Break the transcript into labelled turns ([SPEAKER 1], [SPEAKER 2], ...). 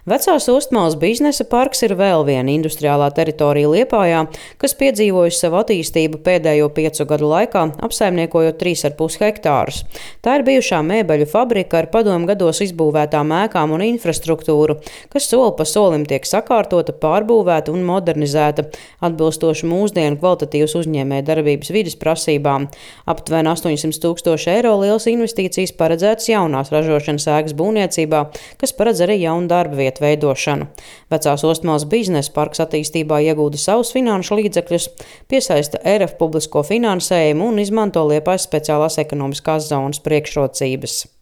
[SPEAKER 1] Vecās Ostmales biznesa parks ir vēl viena industriālā teritorija Liepājā, kas piedzīvojusi savu attīstību pēdējo 5 gadu laikā, apsaimniekojot 3,5 hektārus. Tā ir bijušā mēbeļu fabrika ar padomu gados izbūvētām ēkām un infrastruktūru, kas soli pa solim tiek sakārtota, pārbūvēta un modernizēta, atbilstoši mūsdienu kvalitatīvas uzņēmējdarbības vides prasībām. Aptuveni 800 000 eiro lielas investīcijas paredzētas jaunās ražošanas ēkas būvniecībā, kas paredz arī jaunu darba vietu veidošanu. Vecās Ostmales biznesa parks attīstībā iegūda savus finanšu līdzekļus, piesaista ERF publisko finansējumu un izmanto Liepājas speciālās ekonomiskās zonas priekšrocības.